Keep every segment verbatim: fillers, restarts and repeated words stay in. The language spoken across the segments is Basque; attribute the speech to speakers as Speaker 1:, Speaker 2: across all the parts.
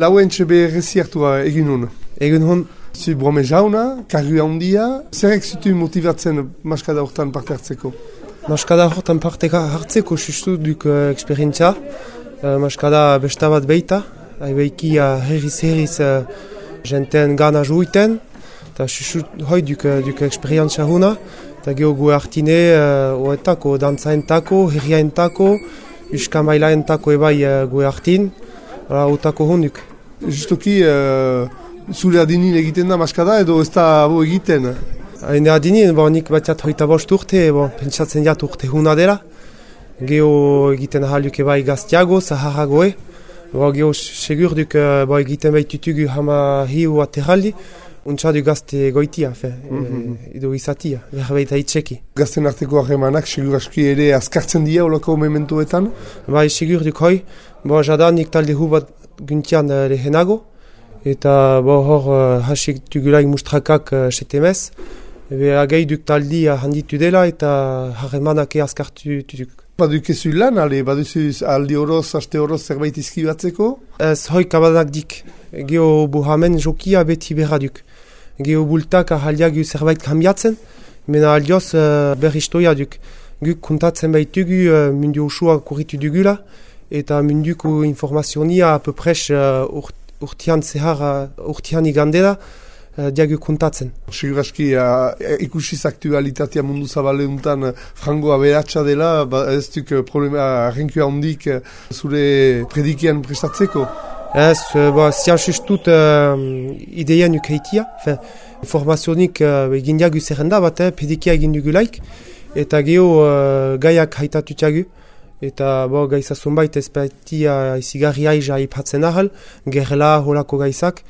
Speaker 1: Lauen txebe reziartua egin hon.
Speaker 2: Egin hon.
Speaker 1: Zu brome jauna, karri handia, zerrek zutu motivatzen maskada hortan parte hartzeko?
Speaker 2: Maskada hortan parte hartzeko sustu duk uh, eksperientzia. Uh, maskada besta bat beita, haibeiki uh, herriz herriz uh, jenten gana juiten, eta sustu hoi duk, duk eksperientzia hona, eta geho gu hartine uh, oetako, dantzaentako, herriaentako, uskamailaentako ebai uh, gu hartin, uh, otako honduk.
Speaker 1: Justoki, uh, zure adinin egiten da maskada edo ez da abo egiten?
Speaker 2: Haine adinin, bo, nik batiat hoita bost urte, bo, pentsatzen jat urte huna dela. Geho egiten ahaluk ebai gaztiago, zaharagoe. Bo, geho segur duk bo, egiten baitutugu hama hiu aterraldi. Untsa du gazte goitia, fe, mm-hmm. e, edo izatia, berbaita itxeki.
Speaker 1: Gazten arteko harremanak segur aski ere azkartzen dira olako mementoetan?
Speaker 2: Bai, segur duk hoi. Bo, jadanik talde hu bat guntian uh, lehenago. Eta bo, hor uh, hasik tugulaik mustrakak uh, setemez. Ebe agei duk taldi uh, handitu dela eta harremanak azkartu duk.
Speaker 1: Badukezu lan, ale, baduzu aldi horoz, haste horoz zerbait izkibatzeko?
Speaker 2: Ez hoi kabadak dik. Geho buhamen jokia beti berra duk. Geho bultak ahaldiagu zerbait kambiatzen, mena aldioz uh, berristoia duk. Guk kontatzen baitugu uh, mundu usua kurritu dugula, eta munduko informazionia apopres uh, urt, urtian zehar, urtian igandela, uh, diagu kontatzen.
Speaker 1: Segur aski, uh, ikusiz aktualitatea mundu zabaleuntan uh, frango aberatsa dela, ba, ez duk uh, problema arrenkua handik uh, zure predikian prestatzeko?
Speaker 2: Ez, uh, ba, zian sustut uh, ideien ukeitia, informazionik uh, egin diagu zerrenda bat, eh, predikia egin dugulaik, eta geho uh, gaiak haitatutiagu. Eta bo, gaiza zonbait ez baitia izigarri aiza ipatzen ahal, gerla holako gaizak,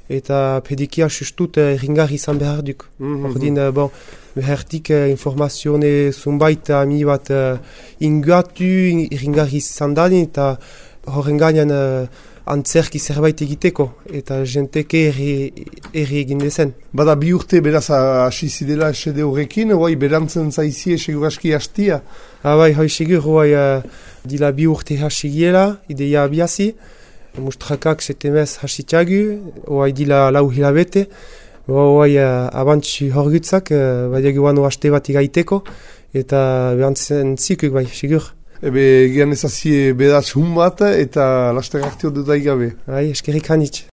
Speaker 2: eta pedikia sustut erringarri izan behar duk. Mm-hmm. Ordin, bon, behertik informazione zonbait ami bat uh, ingatu, erringarri izan dadin, eta horren gainean uh, antzerki zerbait egiteko, eta jenteke erri egin dezen.
Speaker 1: Bada bi urte beraz hasi zidela esede horrekin, oai berantzen zaizie segur aski hastia?
Speaker 2: Ah, bai, hoi segur, oai uh, dila bi urte hasi giela, ideia abiazi, mustrakak setemez hasitiagu, oai dila lau hilabete, oai uh, abantzu horgutzak, uh, badiagu bano haste bat igaiteko, eta behantzen zikuk, bai, segur.
Speaker 1: Ebe, gian ezazie bedatz hun bat eta laster hartio dut daigabe.
Speaker 2: Bai, eskerrik hanitz.